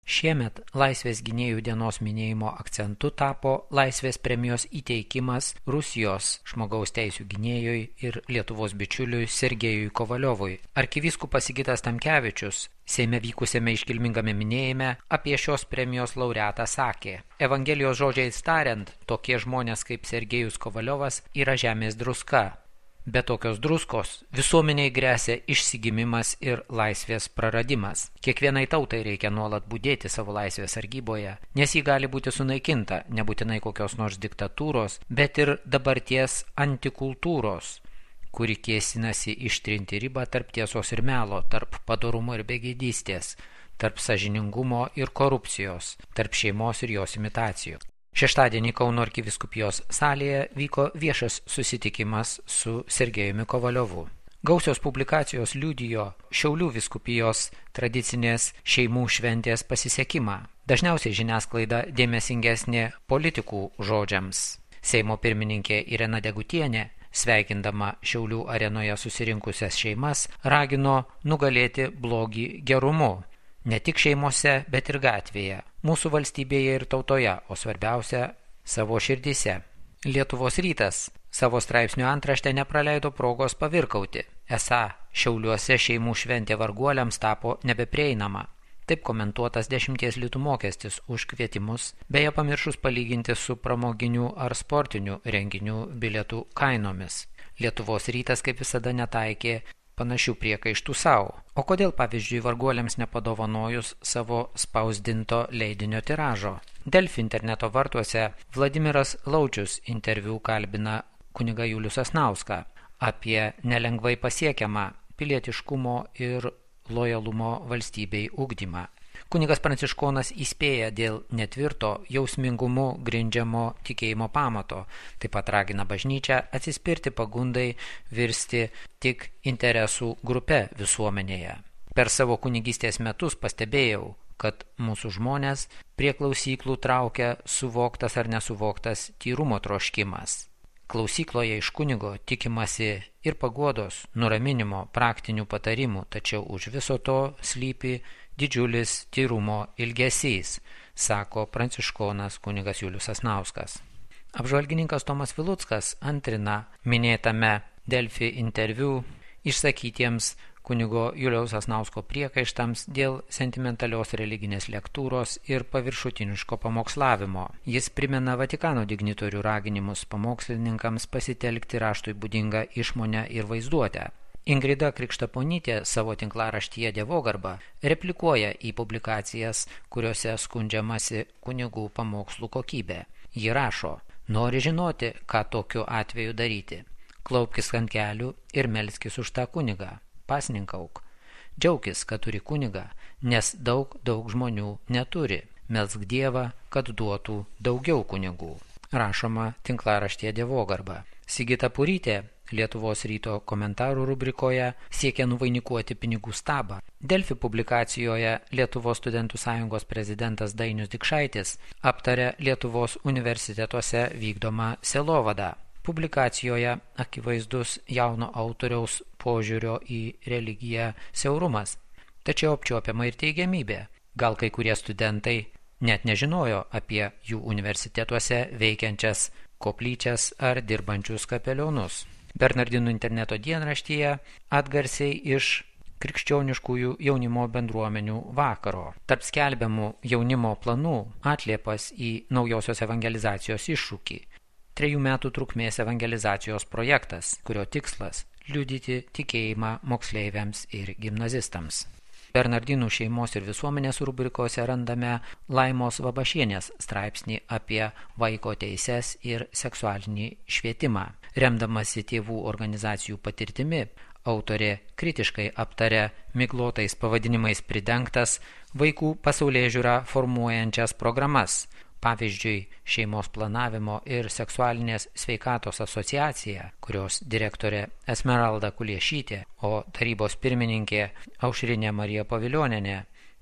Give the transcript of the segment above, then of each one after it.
Šiemet Laisvės gynėjų dienos minėjimo akcentu tapo Laisvės premijos įteikimas Rusijos žmogaus teisių gynėjui ir Lietuvos bičiuliui Sergejui Kovaliovui. Arkivyskupas Sigitas Tamkevičius Seime vykusiame iškilmingame minėjime apie šios premijos laureatą sakė: Evangelijos žodžiais tariant, tokie žmonės kaip Sergejus Kovaliovas yra žemės druska. Be tokios druskos visuomeniai gresia išsigimimas ir laisvės praradimas. Kiekvienai tautai reikia nuolat budėti savo laisvės sargyboje, nes ji gali būti sunaikinta, nebūtinai kokios nors diktatūros, bet ir dabarties antikultūros, kuri kėsinasi ištrinti ribą tarp tiesos ir melo, tarp padorumo ir begėdystės, tarp sąžiningumo ir korupcijos, tarp šeimos ir jos imitacijų. Šeštadienį Kauno arkivyskupijos salėje vyko viešas susitikimas su Sergejumi Kovaliovu. Gausios publikacijos liudijo Šiaulių vyskupijos tradicinės šeimų šventės pasisekimą. Dažniausiai žiniasklaida dėmesingesnė politikų žodžiams. Seimo pirmininkė Irena Degutienė, sveikindama Šiaulių arenoje susirinkusias šeimas, ragino nugalėti blogį gerumu. Ne tik šeimose, bet ir gatvėje, mūsų valstybėje ir tautoje, o svarbiausia – savo širdyse. Lietuvos rytas savo straipsnių antraštę nepraleido progos pavirkauti. Esą Šiauliuose šeimų šventė varguoliams tapo nebeprieinama. Taip komentuotas 10 litų mokestis už kvietimus, beje pamiršus palyginti su pramoginių ar sportinių renginių bilietų kainomis. Lietuvos rytas kaip visada netaikė panašių priekaištų savo. O kodėl, pavyzdžiui, varguoliams nepadovanojus savo spausdinto leidinio tiražo? Delfi interneto vartuose Vladimiras Laučius interviu kalbina kunigą Julių Sasnauską apie nelengvai pasiekiamą pilietiškumo ir lojalumo valstybei ugdymą. Kunigas pranciškonas įspėja dėl netvirto jausmingumu grindžiamo tikėjimo pamato, taip pat ragina bažnyčią atsispirti pagundai virsti tik interesų grupe visuomenėje. Per savo kunigystės metus pastebėjau, kad mūsų žmonės prie klausyklų traukia suvoktas ar nesuvoktas tyrumo troškimas. Klausykloje iš kunigo tikimasi ir paguodos, nuraminimo, praktinių patarimų, tačiau už viso to slypi didžiulis tyrumo ilgesys, sako pranciškonas kunigas Julius Sasnauskas. Apžvalgininkas Tomas Viluckas antrina minėtame Delfi interviu išsakytiems kunigo Juliaus Sasnausko priekaištams dėl sentimentalios religinės lektūros ir paviršutiniško pamokslavimo. Jis primena Vatikano dignitorių raginimus pamokslininkams pasitelkti raštui būdingą išmonę ir vaizduotę. Ingrida Krikštaponytė savo tinklaraštyje Dievogarba replikuoja į publikacijas, kuriuose skundžiamasi kunigų pamokslų kokybė. Ji rašo: nori žinoti, ką tokiu atveju daryti. Klaupkis ant kelių ir melskis už tą kunigą. Pasninkauk. Džiaukis, kad turi kunigą, nes daug žmonių neturi. Melsk Dievą, kad duotų daugiau kunigų. Rašoma tinklaraštyje Dievogarba. Sigita Purytė Lietuvos ryto komentarų rubrikoje siekia nuvainikuoti pinigų stabą. Delfi publikacijoje Lietuvos studentų sąjungos prezidentas Dainius Dikšaitis aptarė Lietuvos universitetuose vykdomą sielovadą. Publikacijoje akivaizdus jauno autoriaus požiūrio į religiją siaurumas, tačiau apčiuopiama ir teigiamybė. Gal kai kurie studentai net nežinojo apie jų universitetuose veikiančias koplyčias ar dirbančius kapelionus. Bernardinų interneto dienraštyje atgarsiai iš krikščioniškųjų jaunimo bendruomenių vakaro. Tarp skelbiamų jaunimo planų atliepas į naujosios evangelizacijos iššūkį. 3 metų trukmės evangelizacijos projektas, kurio tikslas – liudyti tikėjimą moksleiviams ir gimnazistams. Bernardinų šeimos ir visuomenės rubrikose randame Laimos Vabašienės straipsnį apie vaiko teises ir seksualinį švietimą. Remdamasi tėvų organizacijų patirtimi, autorė kritiškai aptarė miglotais pavadinimais pridengtas vaikų pasaulėžiūrą formuojančias programas. Pavyzdžiui, Šeimos planavimo ir seksualinės sveikatos asociacija, kurios direktorė Esmeralda Kuliešytė, o tarybos pirmininkė Aušrinė Marija Pavilionienė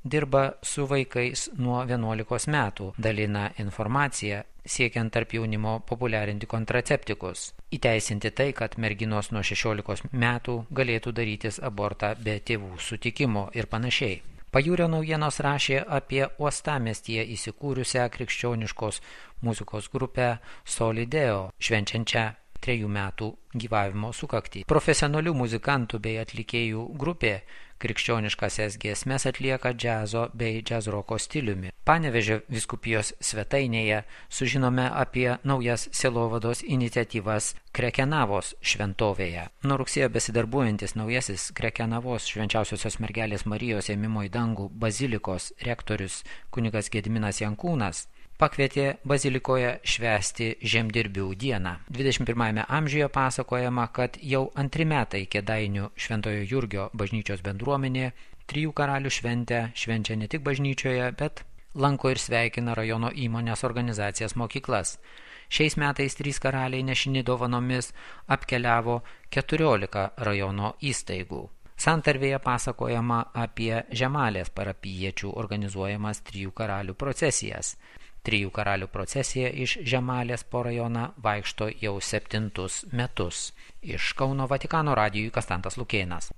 dirba su vaikais nuo 11 metų, dalina informaciją, siekiant tarp jaunimo populiarinti kontraceptikus, įteisinti tai, kad merginos nuo 16 metų galėtų darytis abortą be tėvų sutikimo ir panašiai. Pajūrio naujienos rašė apie uostamiestyje įsikūrusią krikščioniškos muzikos grupę Solideo, švenčiančią 3 metų gyvavimo sukaktį. Profesionalių muzikantų bei atlikėjų grupė krikščioniškasias giesmes atlieka džiazo bei džiazroko stiliumi. Panevėžio vyskupijos svetainėje sužinome apie naujas sielovados iniciatyvas Krekenavos šventovėje. Nuo rugsėjo besidarbuojantis naujasis Krekenavos Švenčiausiosios mergelės Marijos ėmimo į dangų bazilikos rektorius kunigas Gediminas Jankūnas pakvietė bazilikoje švęsti žemdirbių dieną. 21 amžiuje pasakojama, kad jau 2 metai Kėdainių Šventojo Jurgio bažnyčios bendruomenė 3 karalių šventę švenčia ne tik bažnyčioje, bet lanko ir sveikina rajono įmonės organizacijas mokyklas. Šiais metais 3 karaliai nešini dovanomis apkeliavo 14 rajono įstaigų. Santarvėje pasakojama apie Žemalės parapijiečių organizuojamas 3 karalių procesijas. 3 karalių procesija iš Žemalės po rajoną vaikšto jau 7 metus. Iš Kauno Vatikano radijui Kastantas Lukėnas.